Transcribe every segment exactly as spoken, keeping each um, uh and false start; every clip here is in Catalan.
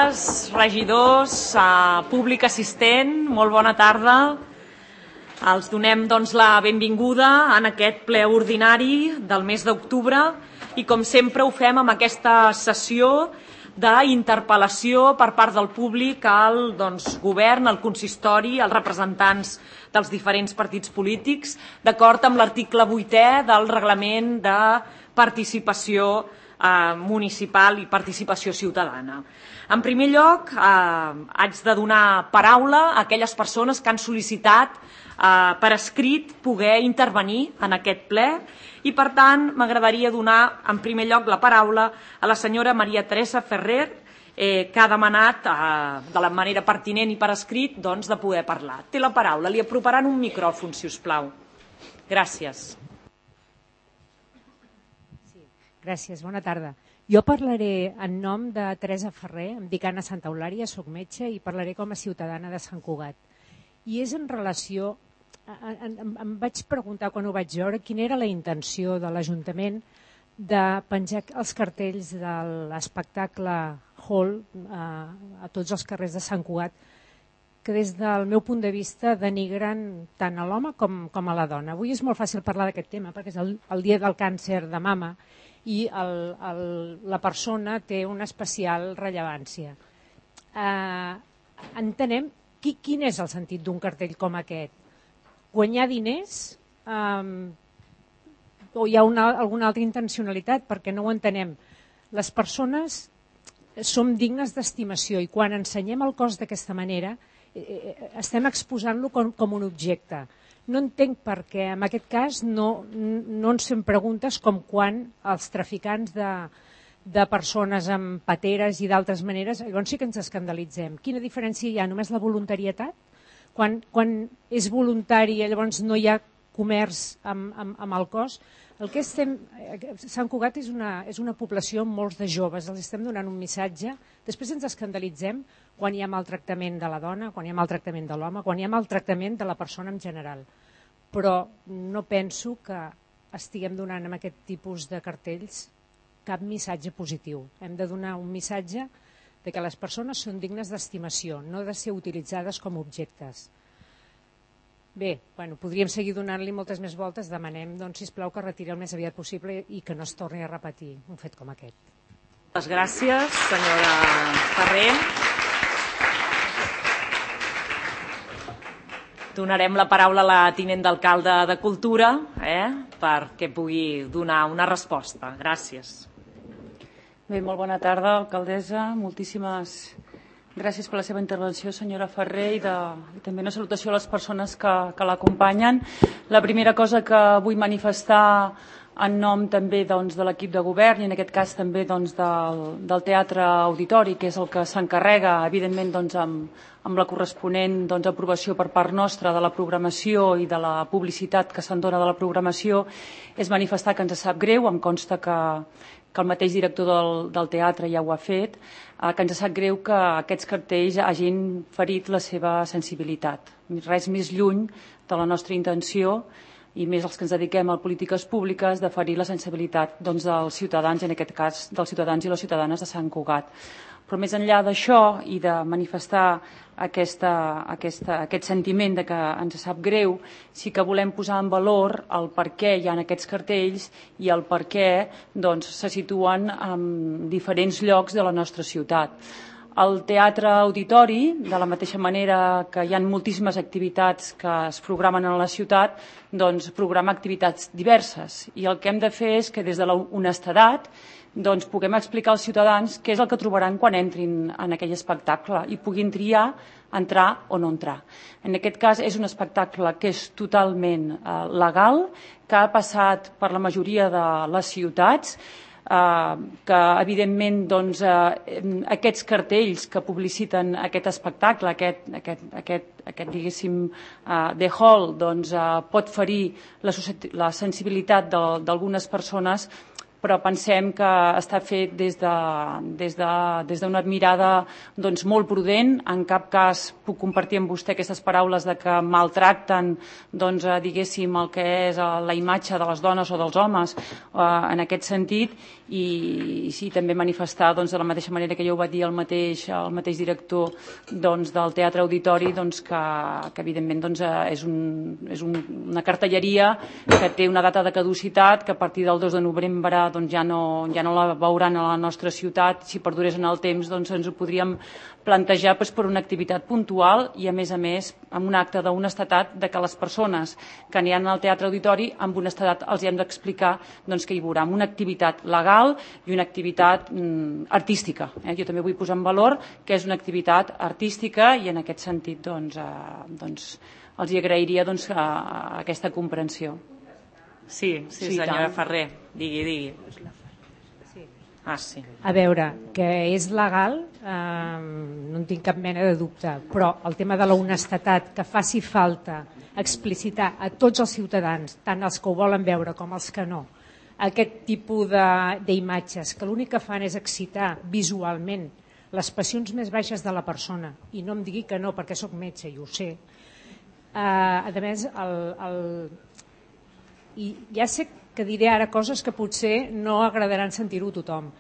Regidors, públic assistent, molt bona tarda. Els donem doncs, la benvinguda en aquest ple ordinari del mes d'octubre i com sempre ho fem amb aquesta sessió d'interpel·lació per part del públic al doncs, govern, al consistori, als representants dels diferents partits polítics, d'acord amb l'article vuitè del reglament de participació eh, municipal i participació ciutadana. En primer lloc, eh, haig de donar paraula a aquelles persones que han sol·licitat eh, per escrit poder intervenir en aquest ple i, per tant, m'agradaria donar en primer lloc la paraula a la senyora Maria Teresa Ferrer, eh, que ha demanat eh, de la manera pertinent i per escrit doncs, de poder parlar. Té la paraula. Li aproparan un micròfon, si us plau. Gràcies. Sí, gràcies. Bona tarda. Jo parlaré en nom de Teresa Ferrer, em dic Anna Santa Eulària, soc metge i parlaré com a ciutadana de Sant Cugat. I és en relació, em, em vaig preguntar quan ho vaig veure quina era la intenció de l'Ajuntament de penjar els cartells de l'espectacle Hall a, a tots els carrers de Sant Cugat, que des del meu punt de vista denigren tant a l'home com, com a la dona. Avui és molt fàcil parlar d'aquest tema perquè és el, el dia del càncer de mama i el, el, la persona té una especial rellevància. Eh, entenem qui, quin és el sentit d'un cartell com aquest? Guanyar diners eh, o hi ha una, alguna altra intencionalitat? Perquè no ho entenem. Les persones som dignes d'estimació i quan ensenyem el cos d'aquesta manera eh, estem exposant-lo com, com un objecte. No entenc per què en aquest cas no, no ens fem preguntes com quan els traficants de, de persones amb pateres i d'altres maneres, llavors sí que ens escandalitzem. Quina diferència hi ha? Només la voluntarietat? Quan, quan és voluntari llavors no hi ha comerç amb, amb, amb el cos? El que estem, Sant Cugat és una, és una població amb molts de joves, els estem donant un missatge, després ens escandalitzem quan hi ha maltractament de la dona, quan hi ha maltractament de l'home, quan hi ha maltractament de la persona en general. Però no penso que estiguem donant amb aquest tipus de cartells cap missatge positiu. Hem de donar un missatge de que les persones són dignes d'estimació, no de ser utilitzades com objectes. Bé, bueno, podríem seguir donant-li moltes més voltes. Demanem, doncs, sisplau, que retiri el més aviat possible i que no es torni a repetir un fet com aquest. Moltes gràcies, senyora Ferrer. Donarem la paraula a la tinent d'alcalde de Cultura eh, perquè pugui donar una resposta. Gràcies. Bé, molt bona tarda, alcaldessa. Moltíssimes gràcies per la seva intervenció, senyora Ferrer, i, de, i també una salutació a les persones que, que l'acompanyen. La primera cosa que vull manifestar en nom també doncs, de l'equip de govern i en aquest cas també doncs, del, del Teatre Auditori, que és el que s'encarrega, evidentment, doncs, amb, amb la corresponent doncs, aprovació per part nostra de la programació i de la publicitat que se'n dona de la programació, és manifestar que ens sap greu, em consta que, que el mateix director del, del teatre ja ho ha fet, eh, que ens sap greu que aquests cartells hagin ferit la seva sensibilitat. Res més lluny de la nostra intenció i més els que ens dediquem a polítiques públiques de ferir la sensibilitat doncs, dels ciutadans, en aquest cas dels ciutadans i les ciutadanes de Sant Cugat. Però més enllà d'això i de manifestar aquesta, aquesta, aquest sentiment de que ens sap greu, sí que volem posar en valor el per què hi ha aquests cartells i el per què doncs, se situen en diferents llocs de la nostra ciutat. El Teatre Auditori, de la mateixa manera que hi ha moltíssimes activitats que es programen a la ciutat, doncs programa activitats diverses. I el que hem de fer és que des de l'honestedat doncs, puguem explicar als ciutadans què és el que trobaran quan entrin en aquell espectacle i puguin triar entrar o no entrar. En aquest cas és un espectacle que és totalment eh, legal, que ha passat per la majoria de les ciutats, Uh, que evidentment doncs, uh, aquests cartells que publiciten aquest espectacle, aquest, aquest, aquest, aquest diguéssim uh, The Hall, doncs, uh, pot ferir la, la sensibilitat d'algunes persones, però pensem que està fet des d'una des de, des d'una mirada doncs, molt prudent. En cap cas puc compartir amb vostè aquestes paraules de que maltracten doncs, diguéssim, el que és la imatge de les dones o dels homes eh, en aquest sentit, i, i sí, també manifestar doncs, de la mateixa manera que ja ho va dir el mateix, el mateix director doncs, del Teatre Auditori, doncs, que, que evidentment doncs, és, un, és un, una cartelleria que té una data de caducitat, que a partir del dos de novembre doncs, ja, no, ja no la veuran a la nostra ciutat. Si perdurés en el temps doncs, ens ho podríem plantejar doncs, per una activitat puntual i, a més a més, amb un acte d'honestedat de que les persones que aniran al Teatre Auditori amb honestedat els hi hem d'explicar doncs, que hi veurà una activitat legal i una activitat mm, artística. Eh? Jo també vull posar en valor que és una activitat artística i en aquest sentit doncs, eh, doncs, els hi agrairia doncs, a, a aquesta comprensió. Sí, sí, sí senyora tant. Ferrer, digui, digui. Sí. Ah, sí. A veure, que és legal, eh, no en tinc cap mena de dubte, però el tema de la honestedat, que faci falta explicitar a tots els ciutadans, tant els que ho volen veure com els que no, aquest tipus d'imatges, que l'únic que fan és excitar visualment les passions més baixes de la persona, i no em digui que no, perquè sóc metge i ho sé. Eh, a més, el, el... i ja sé que diré ara coses que potser no agradaran sentir-ho a tothom,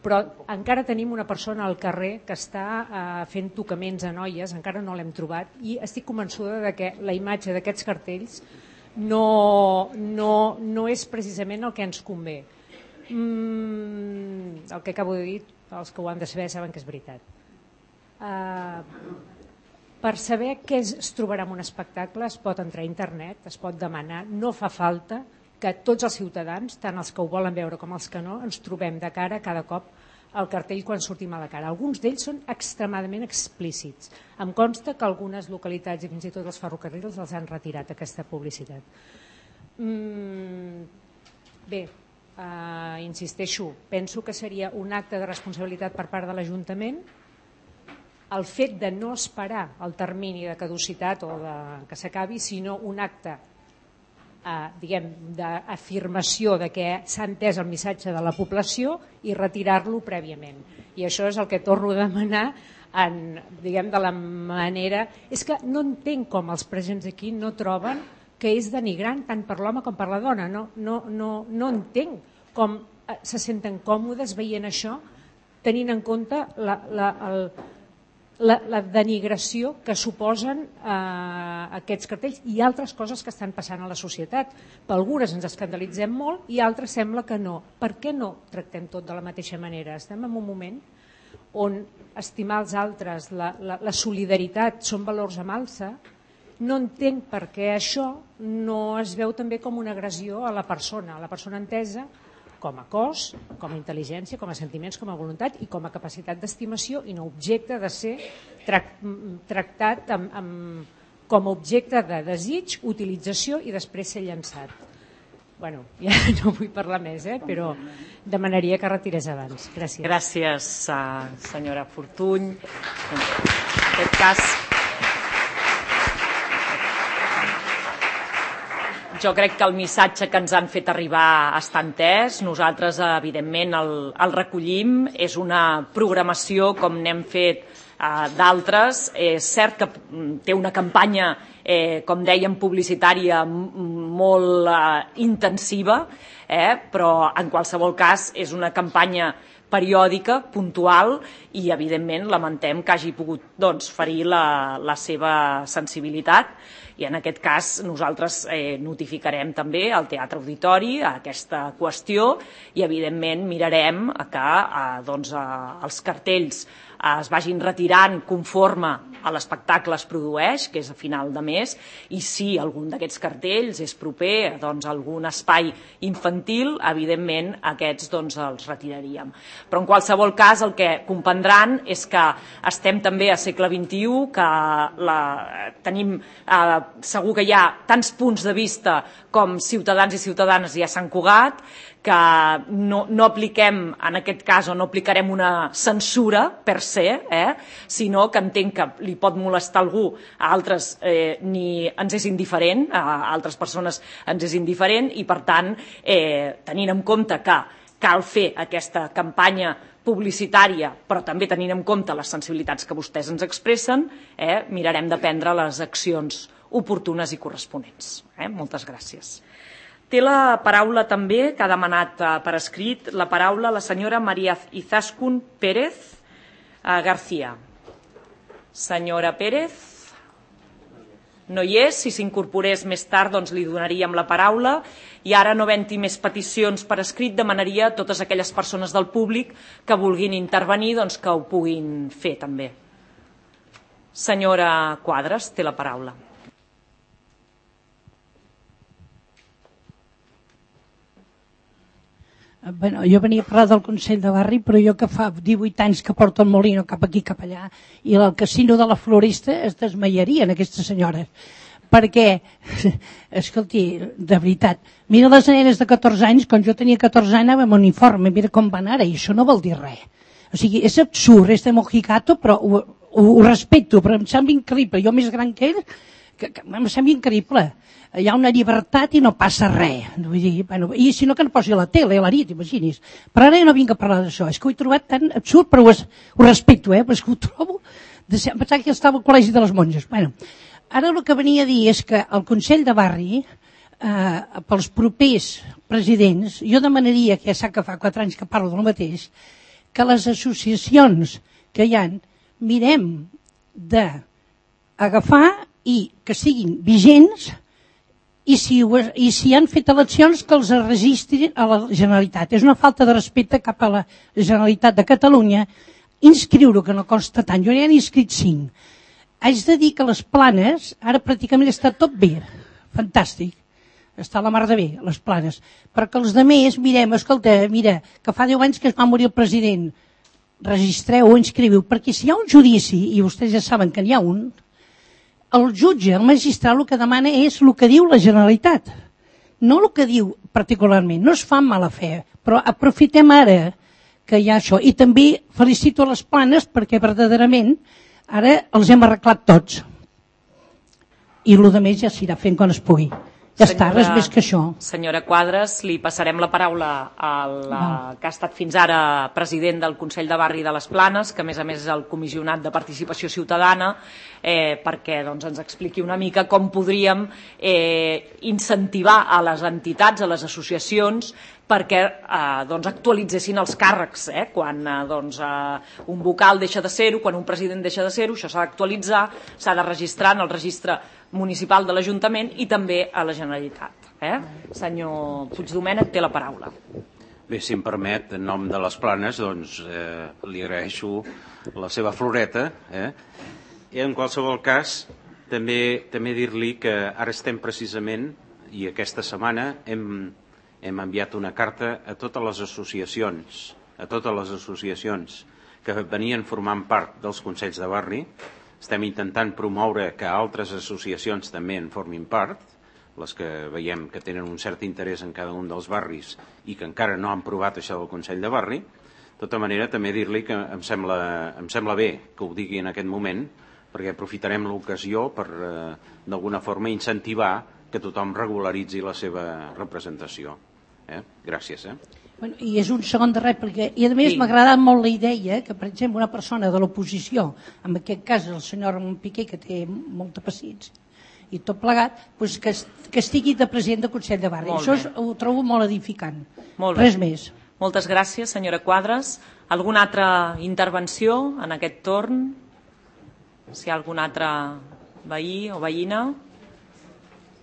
però encara tenim una persona al carrer que està eh, fent tocaments a noies, encara no l'hem trobat, i estic convençuda de que la imatge d'aquests cartells no, no, no és precisament el que ens convé. Mm, el que acabo de dir, els que ho han de saber saben que és veritat. Uh, per saber què es, es trobarà en un espectacle es pot entrar a internet, es pot demanar, no fa falta que tots els ciutadans, tant els que ho volen veure com els que no, ens trobem de cara cada cop al cartell quan sortim a la cara. Alguns d'ells són extremadament explícits. Em consta que algunes localitats i fins i tot els ferrocarrils els han retirat aquesta publicitat. Mm, bé, uh, insisteixo, penso que seria un acte de responsabilitat per part de l'Ajuntament el fet de no esperar el termini de caducitat o de, que s'acabi, sinó un acte eh, diguem, d'afirmació de que s'ha entès el missatge de la població i retirar-lo prèviament. I això és el que torno a demanar en, diguem, de la manera... És que no entenc com els presents aquí no troben que és denigrant tant per l'home com per la dona. No, no, no, no entenc com se senten còmodes veient això, tenint en compte la, la, el, la, la denigració que suposen eh, aquests cartells i altres coses que estan passant a la societat. Per algunes ens escandalitzem molt i altres sembla que no. Per què no tractem tot de la mateixa manera? Estem en un moment on estimar els altres, la, la, la solidaritat són valors amb alça. No entenc per què això no es veu també com una agressió a la persona, a la persona entesa com a cos, com a intel·ligència, com a sentiments, com a voluntat i com a capacitat d'estimació i no objecte de ser tractat amb, amb, com a objecte de desig, utilització i després ser llançat. Bueno, ja no vull parlar més, eh? Però demanaria que retirés abans. Gràcies. Gràcies, senyora Fortuny. En aquest cas, jo crec que el missatge que ens han fet arribar està entès. Nosaltres, evidentment, el, el recollim. És una programació, com n'hem fet eh, d'altres. És cert que té una campanya, eh, com dèiem, publicitària molt eh, intensiva, eh, però en qualsevol cas és una campanya periòdica, puntual, i evidentment lamentem que hagi pogut doncs, ferir la, la seva sensibilitat. I en aquest cas nosaltres eh, notificarem també al Teatre Auditori aquesta qüestió i evidentment mirarem que eh, doncs, eh, els cartells eh, es vagin retirant conforme a l'espectacle es produeix, que és a final de mes, i si algun d'aquests cartells és proper doncs, a algun espai infantil, evidentment aquests doncs, els retiraríem. Però en qualsevol cas el que comprendran és que estem també a segle vint-i-u, que la, tenim eh, segur que hi ha tants punts de vista com ciutadans i ciutadanes i a Sant Cugat, que no, no apliquem, en aquest cas, o no aplicarem una censura per se, eh, sinó que entenc que li pot molestar algú, a altres eh, ni ens és indiferent, a altres persones ens és indiferent, i per tant, eh, tenint en compte que cal fer aquesta campanya publicitària, però també tenint en compte les sensibilitats que vostès ens expressen, eh, mirarem de prendre les accions oportunes i corresponents. Eh? Moltes gràcies. Té la paraula també, que ha demanat eh, per escrit, la paraula la senyora Maria Izaskun Pérez eh, García. Senyora Pérez, no hi és, si s'incorporés més tard doncs li donaríem la paraula, i ara, no havent-hi més peticions per escrit, demanaria a totes aquelles persones del públic que vulguin intervenir doncs, que ho puguin fer també. Senyora Quadras, té la paraula. Bueno, jo venia a parlar del Consell de Barri, però jo que fa divuit anys que porto el molino cap aquí, cap allà, i el casino de la Floresta es desmaiarien aquestes senyores. Perquè, escolti, de veritat, mira les nenes de catorze anys, quan jo tenia catorze anys anàvem amb uniforme, mira com van ara, i això no vol dir res. O sigui, és absurd, és de mojigato, però ho, ho, ho respecto, però em sembla increïble. Jo més gran que ell, que, que em sembla increïble. Hi ha una llibertat i no passa res. Vull dir, bueno, i si no que no posi a la tele, a la nit, imagini's. Però ara jo no vinc a parlar d'això. És que ho he trobat tan absurd, però ho, ho respecto, eh? Però és que ho trobo... De... Em pensava que estava al Col·legi de les Monges. Bueno, ara el que venia a dir és que el Consell de Barri, eh, pels propers presidents, jo demanaria, que ja sap que fa quatre anys que parlo del mateix, que les associacions que hi ha, mirem d'agafar i que siguin vigents, i si, i si han fet eleccions que els registrin a la Generalitat. És una falta de respecte cap a la Generalitat de Catalunya inscriure, que no costa tant. Jo ja n'he inscrit cinc. Haig de dir que les Planes, ara pràcticament està tot bé, fantàstic, està a la mar de bé, les Planes, perquè els altres mirem, escolta, mira, que fa deu anys que es va morir el president, registreu o inscriviu, perquè si hi ha un judici, i vostès ja saben que n'hi ha un, el jutge, el magistrat, el que demana és el que diu la Generalitat, no el que diu particularment. No es fa amb mala fe, però aprofitem ara que hi ha això. I també felicito a les Planes perquè verdaderament ara els hem arreglat tots. I el que més ja s'irà fent quan es pugui. Ja senyora, està, res més que això. Senyora Quadras, li passarem la paraula al no. que ha estat fins ara president del Consell de Barri de les Planes, que a més a més és el comissionat de participació ciutadana, eh, perquè doncs, ens expliqui una mica com podríem eh, incentivar a les entitats, a les associacions, perquè eh, doncs, actualitzessin els càrrecs. Eh? Quan eh, doncs, eh, un vocal deixa de ser-ho, quan un president deixa de ser-ho, això s'ha d'actualitzar, s'ha de registrar en el registre municipal de l'Ajuntament i també a la Generalitat. Eh? Senyor Puigdomènech, té la paraula. Bé, si em permet, en nom de les Planes, doncs, eh, li agraeixo la seva floreta. Eh? I en qualsevol cas, també, també dir-li que ara estem precisament, i aquesta setmana hem, hem enviat una carta a totes les associacions, a totes les associacions que venien formant part dels Consells de Barri. Estem intentant promoure que altres associacions també en formin part, les que veiem que tenen un cert interès en cada un dels barris i que encara no han provat això del Consell de Barri. De tota manera, també dir-li que em sembla, em sembla bé que ho digui en aquest moment, perquè aprofitarem l'ocasió per, eh, d'alguna forma, incentivar que tothom regularitzi la seva representació. Eh? Gràcies. Eh? Bueno, i és un segon de rèplica. I a més sí. M'ha agradat molt la idea que, per exemple, una persona de l'oposició, en aquest cas el senyor Ramon Piqué, que té molta paciència i tot plegat, doncs que, que estigui de president del Consell de Barri. Molt Això és, ho trobo molt edificant. Molt Res més. Moltes gràcies, senyora Quadras. Alguna altra intervenció en aquest torn? Si hi ha algun altre veí o veïna?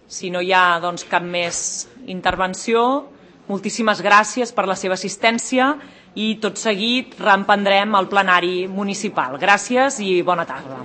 Si no hi ha doncs, cap més intervenció, moltíssimes gràcies per la seva assistència i tot seguit reemprendrem el plenari municipal. Gràcies i bona tarda.